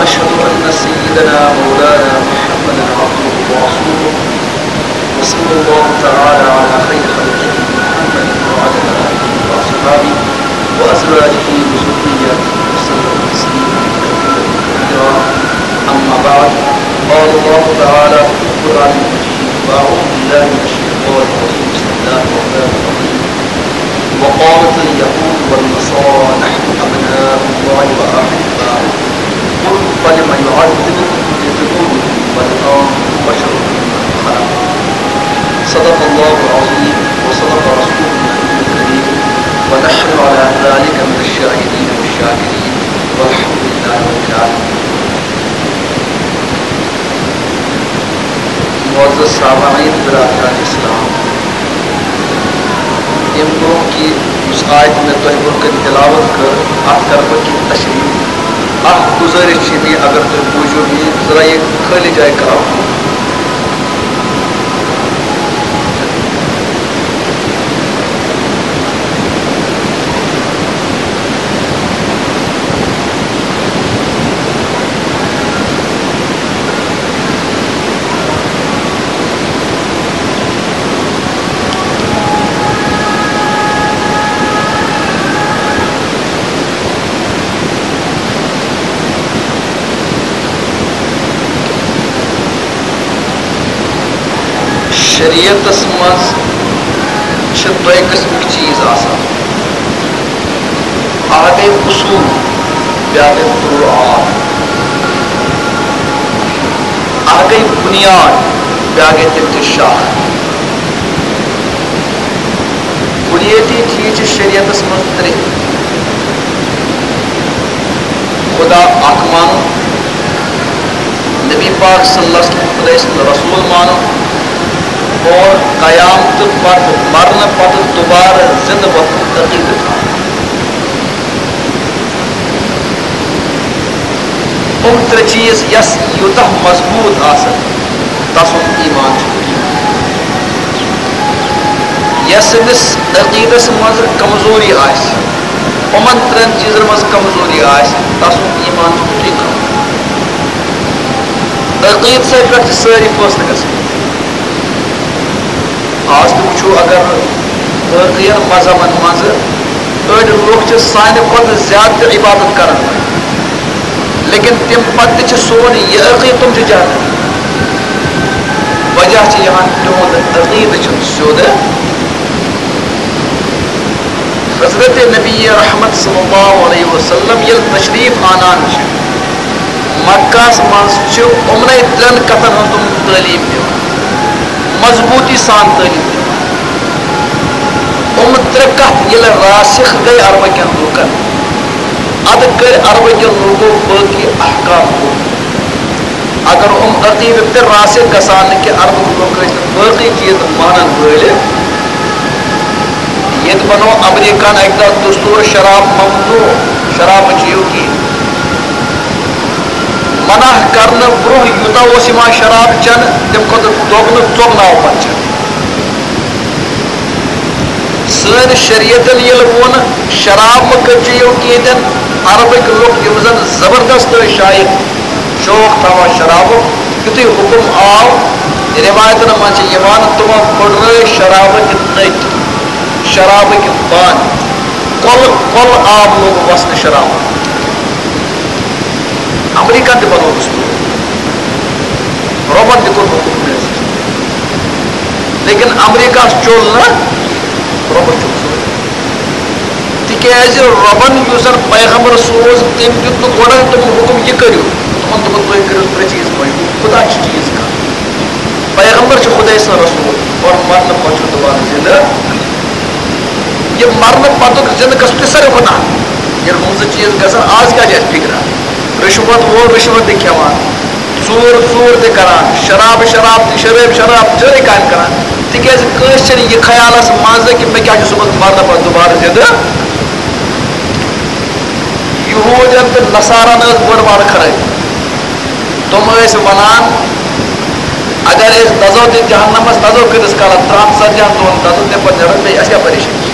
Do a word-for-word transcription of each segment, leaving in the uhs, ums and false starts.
أشهد أن سيدنا مولانا محمدا عبده ورسوله، وصلى الله تعالى على خير خلقه محمد وعلى آله وأصحابه وأزواجه وذرياته وسلم تسليما كثيرا كثيرا. أما بعد، قال الله تعالى في القرآن المجيد: أعوذ بالله من الشيطان الرجيم. بسم الله الرحمن الرحيم. وقالت اليهود والنصارى نحن أبناء الله وأحباؤه. قل فلم يعذبكم بذنوبكم بل أنتم بشر ممن خلق. صدق الله العظيم وصدق رسوله النبي الكريم، ونحن على ذلك من الشاهدين والشاكرين، والحمد لله رب العالمين. معزز سامعین برادران اسلام، امہِ برونٛہہ کہِ یُس آیت مےٚ تۄہہِ برونٛہہ کنہِ تلاوت کٔر، اتھ کرٕ بہٕ کینٛہہ تشریح۔ اکھ گُزٲرِش چھِ مےٚ، اگر تُہۍ بوٗزِو مےٚ، ذرا یہِ خٲلی جایہِ کرو۔ شریعتس منٛز چھِ دۄیہِ قٕسمٕکۍ چیٖز آسان، اکھ گٔے اصوٗل، بیٛاکھ گٔے فروعات، اکھ گٔے بُنیاد، بیٛاکھ گٔے تِم تہِ شاخ۔ بُنیٲدی چیٖز چھِ شریعتس منٛز ترٛےٚ: خدا اکھ مانُن، نبی پاک صلی اللہ علیہ وسلم خداے سُنٛد رسول مانُن، اور قیامتہٕ پتہٕ، مرنہٕ پتہٕ دوبارٕ زِنٛدٕ وۄتھنُک عقیٖدٕ تھاوُن۔ یِم ترٛےٚ چیٖز یَس یوٗتاہ مضبوٗط آسن، تَسُنٛد ایٖمان چھُ ٹھیٖک۔ یَس أمِس عقیٖدس منٛز کمزوری آسہِ، یِمن ترٛٮ۪ن چیٖزن منٛز کمزوری آسہِ، تَسُنٛد ایٖمان چھُ ٹھیٖک۔ عقیٖدسٕے پٮ۪ٹھ چھِ سٲری فٲصلہٕ گژھان۔ آز تہِ وٕچھو، اگر باقین مذہبن منٛز أڑۍ لُکھ چھِ سانہِ کھۄتہٕ زیادٕ تہِ عبادت کران وٲلۍ، لیکن تَمہِ پتہٕ تہِ چھِ سون یہِ عقیٖدٕ، تِم چھِ جہنمی۔ وجہ چھِ یِہُنٛد، تِہُنٛد عقیٖدٕ چھُنہٕ سیوٚد۔ حضرت نبی رحمت صلی اللہ علیہ وسلم ییٚلہِ تشریف آنان چھِ مکہس منٛز، چھِ یِمنٕے ترٛٮ۪ن کتھن ہٕنٛز تِم تعلیٖم دِوان، مضبوٗطی سان تعلیٖم دِوان۔ یِم ترٛےٚ کتھ ییٚلہِ راسخ گٔے عربہٕ کٮ۪ن لوٗکن، ادٕ کٔرۍ عربہٕ کٮ۪ن لوٗکو باقٕے احکام قبوٗل۔ اگر یِم عقیٖدٕ تہِ راسخ گژھان نہٕ کینٛہہ، عربٕکۍ لوٗکھ ٲسۍ نہٕ باقٕے چیٖز مانن وٲلۍ۔ ییٚتہِ بنوو امریکہن اکہِ دۄہ دستور شراب ممنوع، شراب مہ چیٚیِو کینٛہہ۔ منع کرنہٕ برونٛہہ یوٗتاہ اوس یِوان شراب چٮ۪نہٕ، تَمہِ کھۄتہٕ دۄگنہٕ ژۄگناو پتہٕ چٮ۪نہٕ۔ سٲنۍ شریعتن ییٚلہِ ووٚن، شراب مہ کٔرۍ چیٚیِو کینٛہہ، تیٚلہِ عربٕکۍ لُکھ، یِم زن زبردست ٲسۍ شاید شوق تھاوان شرابُک، یُتھُے حُکم آو، رِوایتن منٛز چھِ یِوان، تِمو پھٕٹرٲے شرابٕکۍ نٔٹۍ، شرابٕکۍ بانہٕ، کۄلہٕ کۄلہٕ آب لوٚگ وسنہٕ شرابُک۔ امریکہ تہِ بنوو دستور، رۄبن تہِ کوٚر حُکم نٲفِذ، لیکن امریکہس چوٚل نہٕ، رۄبن چوٚل سورُے۔ تِکیازِ رۄبن یُس زن پیغمبر سوز، تٔمۍ دیُت نہٕ گۄڈے تِمن حُکم، یہِ کٔرِو۔ تِمن دوٚپُن، تُہۍ کٔرِو ترٛےٚ چیٖز مٲنِو، خدا چھُ چیٖز کانٛہہ، پیغمبر چھُ خداے سُنٛد رسول، اور مرنہٕ پتہٕ چھُ دوبارٕ زِندٕ۔ یہِ مرنہٕ پتُک زِندٕ گژھُن چھُ ساروی کھۄتہٕ اہم۔ ییٚلہِ یِم زٕ چیٖز گژھن، آز کیٛاہ چھِ اَسہِ فِکرا؟ رِشوت وول رِشوت تہِ کھٮ۪وان، ژوٗر ژوٗر تہِ کران، شراب شراب تہِ، شرٲبۍ شراب، سٲرٕے کامہِ کران۔ تِکیٛازِ کٲنٛسہِ چھِنہٕ یہِ خیالس منٛز کہِ مےٚ کیٛاہ چھُ صُبحس مرنہٕ پتہٕ دُبارٕ زِندٕ۔ یہوٗدٮ۪ن تہٕ نصارن ٲس بٔڑ بارٕ خرٲبی۔ تِم ٲسۍ ونان، اگر أسۍ دزو تہِ جہنمس، دزو کۭتِس کالس؟ ترٛہن ژتجی ہن دۄہن دزو، تمہِ پتہٕ نیرو بیٚیہِ، اَسہِ کیٛاہ پریشٲنی چھِ؟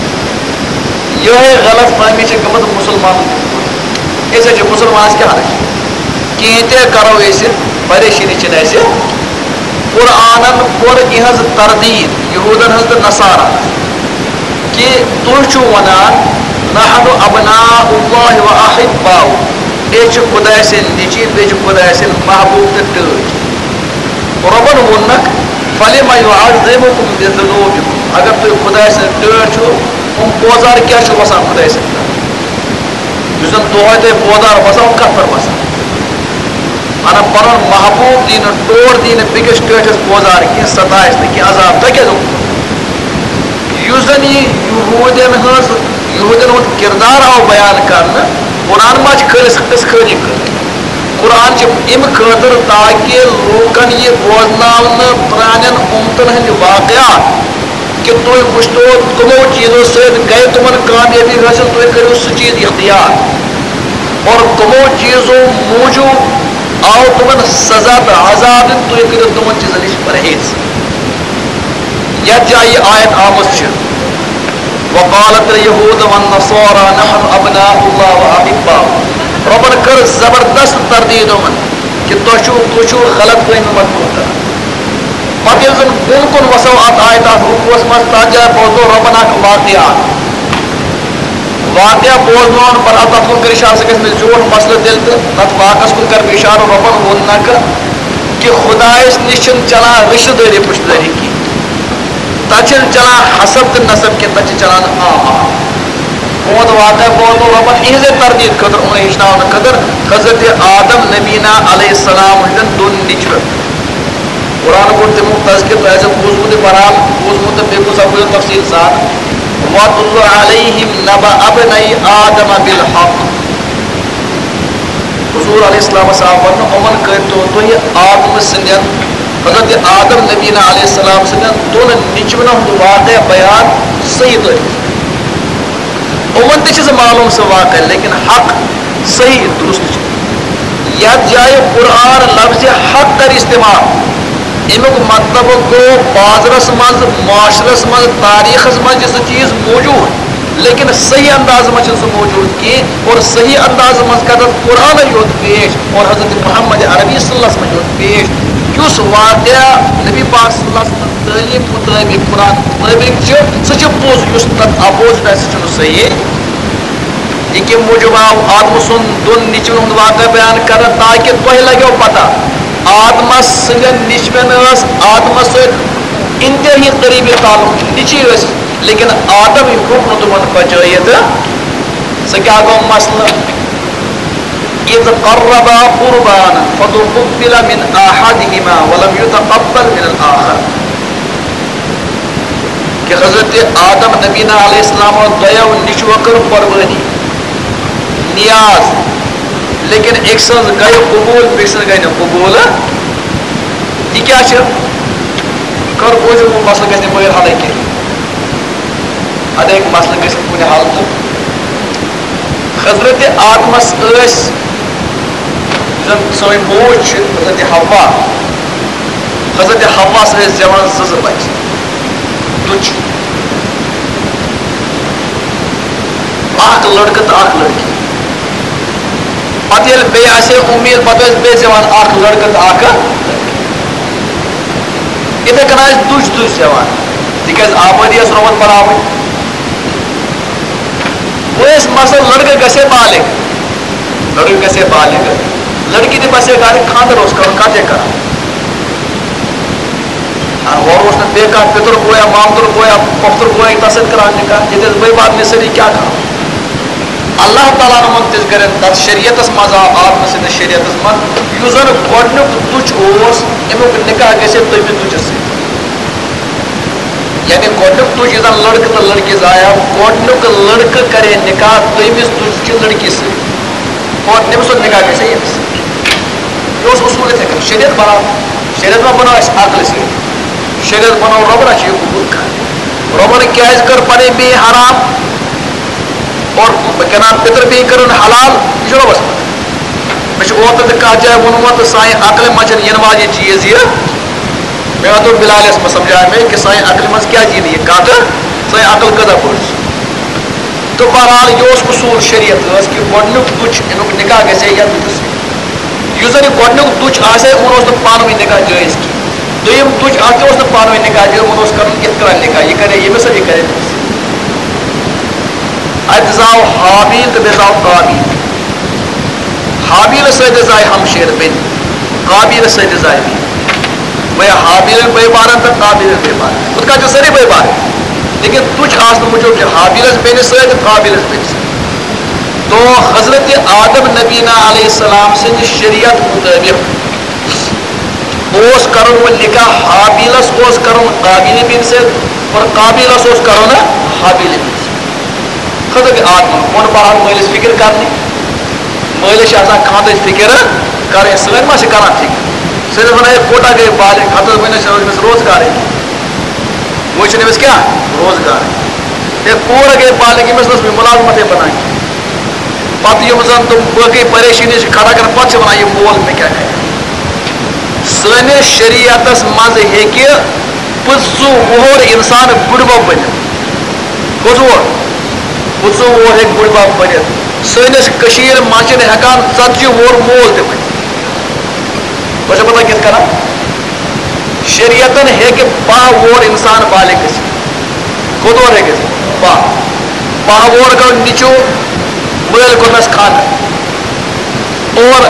یِہوٚے غلط فہمی چھِ گٔمٕژ مُسلمانن۔ أسۍ حظ چھِ مُسلمانس کیٛاہ حرج؟ کینٛہہ تہِ کرو أسۍ، پریشٲنی چھِنہٕ اَسہِ۔ قرآنن کوٚر یِہٕنٛز تردیٖد، یہوٗدن ہٕنٛز تہٕ نصارا، کہِ تُہۍ چھِو وَنان، "نحن ابناء اللہ و احباؤہ"، أسۍ چھِ خۄداے سٕنٛدۍ نیٚچِوۍ، بیٚیہِ چھِ خۄداے سٕنٛدۍ محبوٗب تہٕ ٹٲٹھۍ۔ رۄبن ووٚننکھ، "فلم یعذبکم بذنوبکم"، اگر تُہۍ خۄداے سٕنٛدۍ ٹٲٹھۍ چھِو، یِم بوزار کیٛاہ چھِو وَسان خۄداے سٕنٛدۍ پٮ۪ٹھ؟ یُس زَن دۄہَے تۄہہِ بوزار وَسان، یِم کَتھ پٮ۪ٹھ وَسان؟ اَنا پَنُن محبوٗب دی نہٕ ٹوٹھ، دی نہٕ بیٚکِس ٹٲٹھِس بوزار کینٛہہ، ستایَس نہٕ کینٛہہ، عذاب تۄہہِ کیٛازِ اوٚنوُ؟ یُس زَن یہِ یہوٗدٮ۪ن ہٕنٛز، یہوٗدٮ۪ن ہُنٛد کِردار آو بیان کرنہٕ، قرآن ما چھِ خٲلِص قٕصہٕ خٲنی کٔر؟ قرآن چھِ اَمہِ خٲطرٕ تاکہِ لوٗکَن یہِ بوزناونہٕ، پرٛانٮ۪ن اُمتَن ہٕنٛدۍ واقعات، کہ تُہۍ وٕچھتو کٕمو چیٖزو سۭتۍ گٔے تِمن کامیٲبی حٲصِل، تُہۍ کٔرِو سُہ چیٖز اختیار۔ اور کٕمو چیٖزو موٗجوٗب آو تِمن سزا تہٕ عذاب دِنہٕ، تُہۍ کٔرِو تِمن چیٖزن نِش پرہیز۔ یتھ جایہِ یہِ آیت آمٕژ چھِ، "وقالت اليهود والنصارى نحن ابناء الله واحباؤه"، رۄبن کٔر زبردست تردید یِمن۔ کہ تۄہہِ چھُو، تُہۍ چھُو غلط فہمی مطلوب کران۔ پتہٕ ییٚلہِ زن بۄن کُن وسو اتھ آیتس رکوعس منٛز، تتھ جایہِ بوزنو رۄبن اکھ واقعہ۔ واقعہ بوزناون پتہٕ، اتھ، تتھ کُن کٔر اشارٕ، سُہ گژھِ مےٚ زیوٗٹھ مسلہٕ تیٚلہِ، تہٕ تتھ واقعس کُن کرٕ بہٕ اشارٕ۔ رۄبن ووٚن نکھٕ کہ خدایس نِش چھِنہٕ چلان رشتہٕ دٲری پُشتہٕ دٲری کینٛہہ۔ تتہِ چھِنہٕ چلان حسب تہٕ نسب کینٛہہ، تتہِ چھِ چلان آ آ۔ بہت واقعہ بہت رۄبن اِہنٛزے تردید خٲطرٕ، یِمن ہیٚچھناونہٕ خٲطرٕ حضرت آدم نبینا علیہ السلام ہٕنٛدٮ۪ن دۄن نیٚچوٮ۪ن۔ قرآن کوٚر تِمو تذکر، تۄہہِ آسیو بوٗزمُت یہِ بہرحال، بوٗزمُت تہٕ بیٚیہِ کُس اَپٲرۍ تفصیٖل سان۔ وَاتْلُ عَلَيْهِمْ نَبَأَ ابْنَيْ آدَمَ بِالْحَقِّ۔ حضور علیہ السلام صاحب وننہٕ، یِمن کٔرۍتو تُہۍ آدم سٕنٛدٮ۪ن، حضرت آدم نبینا علیہ السلام سٕنٛدٮ۪ن دۄن نیٚچوٮ۪ن ہُنٛد واقعہ بیان صحیح طریقہٕ۔ یِمن تہِ چھِ سُہ معلوٗم سُہ واقعہ، لیکن حق صحیح درست چھُ۔ یتھ جایہِ قرآن لفظ حق کر استعمال، امیُک مطلب گوٚو بازرس منٛز، معاشرس منٛز، تاریخس منٛز چھِ سُہ چیٖز موجود، لیکن صحیح انداز منٛز چھُنہٕ سُہ موجود کینٛہہ۔ اور صحیح انداز منٛز کر تتھ قرآن یوت پیش اور حضرت محمد عربی صلی اللہ علیہ وسلم یوت پیش، یُس واقعہ نبی پاک صلی اللہ علیہ وسلم تعلیٖم مُطٲبِق، قرآن مُطٲبِق چھُ، سُہ چھُ پوٚز، یُس تَتھ opposite آسہِ، سُہ چھُنہٕ صحیح۔ یہِ کَمہِ موٗجوٗب آو آدمہٕ سُنٛد دۄن نیٚچوٮ۪ن ہُنٛد واقعہٕ بیان کرنہٕ؟ تاکہِ تۄہہِ لگیو پتہ، آدمس سٕنٛدٮ۪ن نیٚچوٮ۪ن ٲس آدمس سۭتۍ انتہٲیی قریبی تعلق، نیٚچوۍ ٲسۍ، لیکن آدم ہیوٚک نہٕ تِمن بچٲیِتھ۔ سُہ کیٛاہ گوٚو مسلہٕ؟ إذ قربا قربانا فتقبل من أحدهما ولم يتقبل من الآخر۔ کہ حضرت آدم نبینا علیہ السلام دۄیو نیٚچوٕ کٔر قربٲنی، نیاز، لیکن أکۍ سٕنٛز گٔے قبول، بیٚکہِ سٕنٛز گٔے نہٕ قبول۔ یہِ کیٛاہ چھِ؟ کر بوٗزِو، وۄنۍ مسلہٕ گژھِ نہٕ بٲیِر حلٕے کینٛہہ۔ اَدٕ ہیٚکہِ مسلہٕ گٔژھِتھ کُنہِ حالتہٕ۔ حضرت آدمس ٲسۍ، یُس زن سٲنۍ موج چھِ، حضرت حوا، حضرت حواہس ٲسۍ زٮ۪وان زٕ زٕ بچہِ، دُچھ، اکھ لڑکہٕ تہٕ اکھ لڑکی۔ پتہٕ ییٚلہِ بیٚیہِ آسہِ ہے اُمید، پتہٕ ٲسۍ بیٚیہِ زٮ۪وان اکھ لڑکہٕ تہٕ اکھ لڑکی۔ یِتھے کٔنۍ آسہِ دُچھ دُچھ زٮ۪وان، تِکیٛازِ آبٲدی ٲس رۄبن بناوٕنۍ۔ وۄنۍ ٲسۍ مثلاً لڑکہٕ گژھِ ہے بالغ، لڑکہٕ گژھِ ہے بالغ، لڑکی تہِ بسہِ ہے گرِ، خانٛدر اوس کرُن، کتھ ہے کران۔ آ، ہورٕ اوس نہٕ بیٚیہِ کانٛہہ پِتُر بویا، مامتُر بویا، پۄپھتُر بویا تَس سۭتۍ کران نِکاح، ییٚتہِ ٲسۍ بٲے بارنہِ سٲری کیٛاہ کران؟ اللہ تعالیٰ ہن ووٚن تِژھ گرٮ۪ن تَتھ شریعتس منٛز، آو آدمہٕ سٕنٛدِس شریعتس منٛز، یُس زن گۄڈٕنیُک دُچھ اوس، اَمیُک نِکاح گژھِ ہے تٔمِس دُچھِس سۭتۍ۔ یعنی گۄڈٕنیُک دُچھ یُس زن لڑکہٕ تہٕ لڑکی زایہِ ہا، گۄڈٕنیُک لڑکہٕ کرِ ہے نِکاح تٔمِس دُچھِ لڑکی سۭتۍ۔ اور تٔمۍ سُنٛد نِکاح گژھِ ہے ییٚمِس۔ یہِ اوس اصوٗل یِتھَے کٔنۍ۔ شریعت بناو، شریعت ما بناو اَسہِ عقلہِ سۭتۍ؟ شریعت بناو رۄبن، اَسہِ چھُ یہِ قبوٗل کرُن۔ رۄبن کیٛازِ کٔر پنٕنۍ بیٚنہِ حرام؟ اور بہٕ کَرٕ پِتٕر بیٚنہِ کٔرٕن حلال، یہِ چھُ رۄبس پتہ۔ مےٚ چھُ اوترٕ تہِ کَتھ جایہِ ووٚنمُت، تہٕ سانہِ عقلہِ منٛز چھَنہٕ یِنہٕ واجیٚنۍ چیٖز یہِ۔ مےٚ دوٚپ بِلالَس منٛز سمجھاو مےٚ کہِ سانہِ عقلہِ منٛز کیٛازِ یی نہٕ یہِ کَتھ، سٲنۍ عقل کۭژاہ بٔڑ چھِ۔ تہٕ بہرحال، یہِ اوس اصوٗل شریعت ٲس کہِ گۄڈٕنیُک دُچھ، اَمیُک نِکاح گژھِ ہے یَتھ دُچھِس سۭتۍ۔ یُس زَن یہِ گۄڈٕنیُک دُچھ آسہِ ہا، یِمَن اوس نہٕ پانہٕ ؤنۍ نِکاح جٲیِز کینٛہہ۔ دوٚیِم دُچھ اَکھ تہِ اوس نہٕ پانہٕ ؤنۍ نِکاح جٲیِز، یِمَن اوس کَرُن یِتھ کٔنۍ نِکاح، یہِ کَرے ییٚمِس سۭتۍ، یہِ کَرے تٔمِس سۭتۍ۔ اَتہِ زاو ہابیل تہٕ بیٚیہِ زاو قابیل۔ ہابیلَس سۭتۍ تہِ زایہِ ہمشیرٕ بیٚنہِ، قابیلَس سۭتۍ تہِ زایہِ بیٚنہِ۔ گویا ہابیلَن بٲے بارَن تہٕ قابیلَن بٲے بارَن۔ ہُتھ کَنۍ چھِ سٲری بٲے بارٕنۍ۔ لیکن دُچھ آسنہٕ موٗجوٗب چھِ ہابیلَس بیٚنہِ سۭتۍ تہٕ قابیلَس بیٚنہِ سۭتۍ۔ تو حضرت آدم نبینا علیہ السلام سٕنٛدِ شریعت مُطٲبِق اوس کَرُن وۄنۍ نِکاح، ہابیلَس اوس کَرُن قابیل بیٚنہِ سۭتۍ اور قابیلَس اوس کَرُن ہابیل بیٚنہِ سۭتۍ۔ خطر آدمن کُن بہر مٲلِس فِکر کرنہِ۔ مٲلِس چھِ آسان خاندٕچ فِکر کرٕنۍ، سٲنۍ ما چھِ کران فِکر؟ صرف وَنان، "ہے، کوٗتاہ گٔے بالغ، خطر وۄنۍ چھِ أمِس روزگارٕے، وۄنۍ چھُنہٕ أمِس کیٛاہ روزگار؟ ہے، کوٗر گٔے بالغ، أمِس نہ ٲس وۄنۍ مُلازمتٕے بَنان کینٛہہ۔" پَتہٕ یِم زَن تِم باقٕے پریشٲنی چھِ کھڑا کران، پَتہٕ چھِ وَنان، "یہِ مول مےٚ کیٛاہ کرِ؟" سٲنِس شریعتس منٛز ہیٚکہِ پٕنٛژٕہ وُہُر اِنسان بُڈبب بٔنِتھ۔ کٔژ وُہُر؟ پٕنٛژٕہ وُہُر ہیٚکہِ بُڈبب بٔنِتھ۔ سٲنِس کٔشیٖرِ منٛز چھِنہٕ ہٮ۪کان ژتجی وُہُر مول تہِ بٔنِتھ۔ تۄہہِ چھا پتہ کِتھ کٔنۍ؟ شریعتن ہیٚکہِ باہ وُہُر اِنسان بالغ گٔژھِتھ۔ کوٚت وُہُر ہیٚکہِ؟ باہ۔ باہ وُہُر گوٚو نیٚچوٗ، مٲلۍ کوٚرنس خانٛدر۔ اور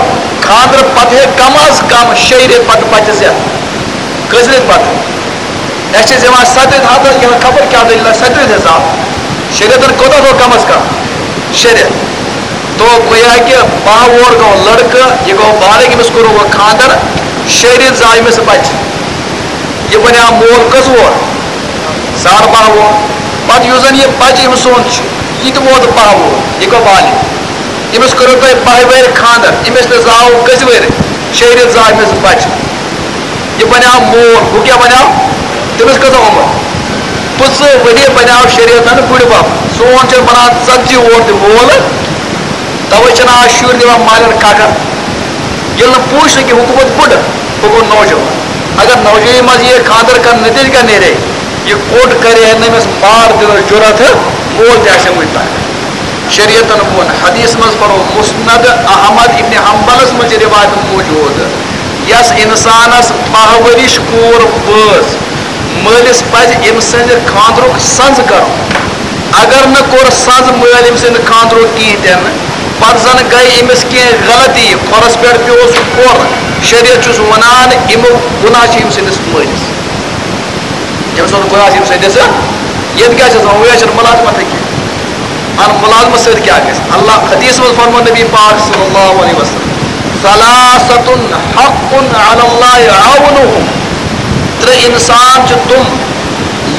خانٛدرٕ پتہٕ ہے کم از کم شیٚیہِ رٮ۪تۍ پتہٕ بچہِ زٮ۪تھ۔ کٔژِ رٮ۪تۍ پتہٕ؟ اَسہِ چھِ زٮ۪وان ستہِ رٮ۪تۍ، ہتھ رٮ۪تۍ، یِمن خبر کیٛاہ دٔلیٖلہ، ستہِ رٮ۪تۍ حساب۔ شیٚیہِ رٮ۪تن کوٗتاہ گوٚو کم از کم؟ شےٚ رٮ۪تۍ۔ تو گویا کہِ باہ وُہُر گوٚو لڑکہٕ، یہِ گوٚو بالغ، أمِس کوٚرُکھ وۄنۍ خانٛدر، شیٚیہِ رٮ۪تۍ زاو أمِس بچہِ۔ یہِ بنیٛاو مول کٔژ وُہُر؟ ساڑ باہ وُہُر۔ پتہٕ یُس زن یہِ بچہِ أمۍ سُنٛد چھُ، یہِ تہِ ووت باہ وُہُر، یہِ گوٚو بالغ۔ أمِس کوٚرُو تۄہہِ باہہِ وٕہٕرۍ خانٛدر، أمِس تہِ زاو کٔژِ وٕہٕرۍ؟ شیٚیہِ رٮ۪تۍ زاو أمِس بچہِ۔ یہِ بنیٛاو مول، ہُہ کیٛاہ بنیٛاو؟ تٔمِس کۭژاہ عمر؟ پٕنٛژٕہ ؤری بنیٛاو شریعتن بُڈِ بب۔ سون چھُ بنان ژتجی وُہُر تہِ مول۔ توے چھِنہٕ آز شُرۍ دِوان مالٮ۪ن ککر۔ ییٚلہِ نہٕ پوٗچھ نہٕ کہِ ہُہ گوٚمُت بُڈٕ، ہُہ گوٚو نوجوان۔ اگر نوجوانی منٛز یہِ خانٛدر کرنہٕ نتیجہٕ کیٛاہ نیرے؟ یہِ کوٚٹ کرِ ہے نہٕ أمِس مار دِنَس جُرت، مول تہِ آسہِ ہے وُنہِ تانۍ۔ شریعتن ووٚن، حدیث منٛز پرو، مسند احمد ابن حنبلس منٛز چھِ روایت موجود، یس انسانس باہ ؤرِش کوٗر وٲژ، مٲلِس پزِ أمۍ سٕنٛدِ خانٛدرُک سنٛز کرُن۔ اگر نہٕ کوٚر سنٛز مٲلۍ أمۍ سٕنٛدِ خانٛدرُک کِہیٖنۍ تہِ نہٕ، پتہٕ زن گٔے أمِس کینٛہہ غلطی، کھۄرس پٮ۪ٹھ پیوس کھۄر، شریعت چھُس ونان، امیُک گناہ چھُ أمۍ سٕنٛدِس مٲلِس۔ أمۍ سُنٛد گناہ چھُ أمۍ سٕنٛدِس۔ ییٚتہِ کیٛاہ چھِ آسان؟ وۄنۍ چھِنہٕ مُلازمتٕے کینٛہہ۔ اَن مُلازمت سۭتۍ کیٛاہ گژھِ؟ اللہ حدیث منٛز فرموو نبی پاک صلی اللہ علیہ وسلم، "ثلاثة حق على الله عونهم"۔ ترٛےٚ انسان چھِ تِم،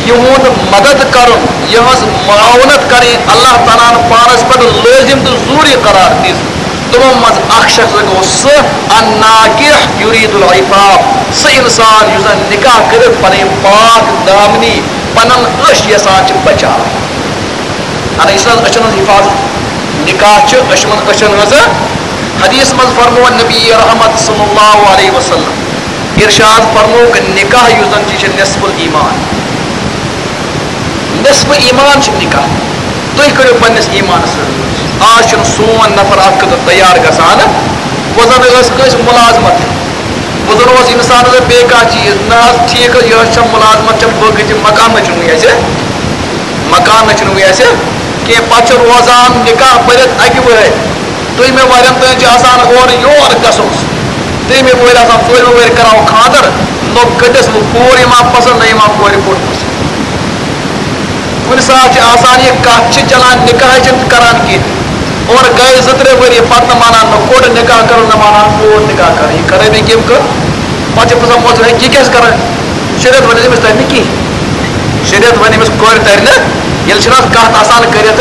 یِہُنٛد مدد کرُن، یِہٕنٛز معاونت کرٕنۍ، اللہ تعالیٰ ہن پانس پٮ۪ٹھ لٲزم تہٕ ضروٗری قرار دِژ۔ تِمو منٛز اکھ شخص گوٚو سُہ، الناکح یرید العفاف، سُہ انسان یُس زن نکاح کٔرِتھ پنٕنۍ پاک دامنی، پنُن أچھ یژھان چھِ بچاوٕنۍ۔ اَنا، یُس زن أچھن ہٕنٛز حفاظت، نکاح چھِ أچھن، أچھن ہٕنٛز۔ حدیث منٛز فرموو نبی رحمت صلی اللہ علیہ وسلم، ارشاد فرمووُکھ، نکاح یُس زن چھُ، یہِ چھُ نصف الایمان۔ نصف ایمان چھُ نکاح۔ تُہۍ کٔرِو پننِس ایمانس سۭتۍ۔ آز چھُنہٕ سون نفر اتھ خٲطرٕ تیار گژھان۔ وۄنۍ زن ٲس کٲنٛسہِ مُلازمت، وۄنۍ زن اوس انسانس بیٚیہِ کانٛہہ چیٖز، نہ حظ، ٹھیٖک حظ، یہِ حظ چھےٚ مُلازمت، چھےٚ بٲقٕے تہِ مکان نہ چھُنہٕ وۄنۍ اَسہِ، مکان نہ چھُنہٕ وۄنۍ اَسہِ کینٛہہ۔ پتہٕ چھُ روزان نکاح پٔرِتھ اکہِ وٕہٕرۍ۔ دوٚیمہِ وَرٮ۪ن تام چھُ آسان اورٕ یور گژھُن۔ ترٛیٚیِمہِ وٕہٕرۍ آسان، ژوٗرِمہِ وٕہٕرۍ کَران خانٛدر، نہ کٔٹِس وۄنۍ کوٗر یِوان پَسنٛد، نہ یِوان کورِ کوٚٹ پَسنٛد۔ کُنہِ ساتہٕ چھِ آسان یہِ کَتھ چھِ چَلان، نِکاح چھِنہٕ کَران کِہیٖنۍ۔ اورٕ گٔے زٕ ترٛےٚ ؤری، پَتہٕ نہ مانان نہ کوٚٹ نِکاح کَرُن، نہ مانان کوٗر نِکاح کَرُن۔ یہِ خرٲبی کٔمۍ کٔر؟ پَتہٕ چھِ پرٛژھان مول صٲب، "ہے، یہِ کیٛاہ چھِ کَران؟" شریعت وَنہِ أمِس تَرِ نہٕ کِہیٖنۍ۔ شریعت وَنہِ أمِس کورِ تَرِ نہٕ، ییٚلہِ چھِنہٕ اَتھ کَتھ آسان کٔرِتھ،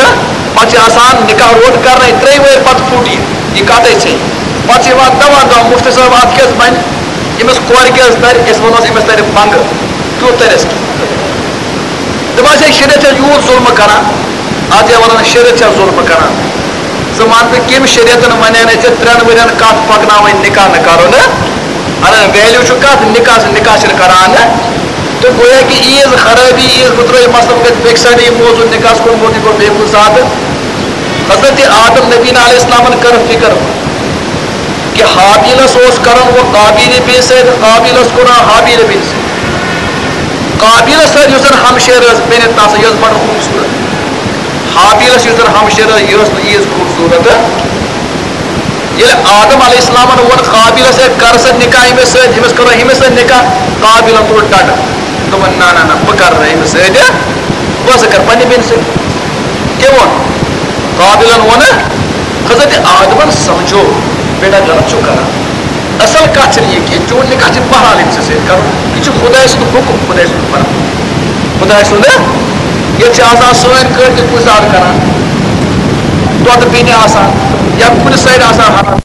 پَتہٕ چھِ آسان نِکاح روٚٹ کَرنَے، ترٛیٚیہِ وٕہٕرۍ پَتہٕ پھُٹ یہِ، یہِ کَتھَے ژھیٚنۍ۔ پَتہٕ چھِ یِوان دَوان دَوان، "مُفتی صٲب، اَتھ کیٛاہ حظ بَنہِ؟ أمِس کورِ کیٛاہ حظ تَرِ؟" أسۍ وَنوس، "أمِس تَرِ بنٛگہٕ، تیوٗت تَرٮ۪س کینٛہہ۔" دَپان چھِ، "شریعت چھا یوٗت ظُلمہٕ کَران؟" اَتھ چھِ وَنان، "شریعت چھا ظُلمہٕ کَران؟" ژٕ وَن تہٕ، کٔمۍ شریعتن وَنیٛا نہٕ ژےٚ ترٛٮ۪ن ؤرین کَتھ پَکناوٕنۍ، نِکاح نہٕ کَرُن؟ اَنان ویلیوٗ چھُ کَتھ نِکاح، نِکاح چھِنہٕ کَران۔ تہٕ گویا کہِ عیٖز خرٲبی، عیٖز بہٕ ترٛٲوِتھ، مَسلَن گژھِ بیٚکہِ سایڈٕ یہِ موضوٗع، نِکاحَس کُن موضوٗع، یہِ گوٚو بیٚیہِ کُنہِ ساتہٕ۔ حضرت آدم نبی علیہ السلامَن کٔر فِکر، یہِ ہابیلس اوس کران وۄنۍ قابیل بیٚنہِ سۭتۍ، قابیلس کوٚر ہابیل بیٚنہِ سۭتۍ۔ قابیلس سۭتۍ یُس زن ہمشیرٕ ٲس بیٚنہِ تس، یۄس بڑٕ خوٗبصوٗرت، ہابیلس یُس زن ہمشیرٕ ٲس، یہِ ٲس نہٕ ییٖژ خوٗبصوٗرت۔ ییٚلہِ آدم علیہ السلامن ووٚن قابیلس، "ہے، کر سا نکاح أمِس سۭتۍ، أمِس کرو أمِس سۭتۍ نکاح"، قابیلن تُل ڈنڈٕ، دوٚپُن، "نہ، نہ، نہ، بہٕ کرٕ نہٕ أمِس سۭتۍ، بہٕ ہسا کرٕ پننہِ بیٚنہِ سۭتۍ۔" کٔمۍ ووٚن؟ قابیلن ووٚن۔ حضرت آدمن سمجھو، "بیٹا، غلط چھُو کران۔ اصل کتھ چھنہٕ یہِ کینٛہہ، چون نکاح چھُ بہرحال أمۍ سٕنٛدِ سۭتۍ کرُن۔ یہِ چھُ خداے سُنٛد حُکم، خداے سُنٛد فرمان۔ خداے سُنٛد، ییٚتہِ چھِ آسان سٲنۍ کٲلۍ تہِ کُنہِ ساتہٕ کران، دۄدٕ بیٚنہِ آسان یا کُنہِ سایڈٕ آسان حرام۔"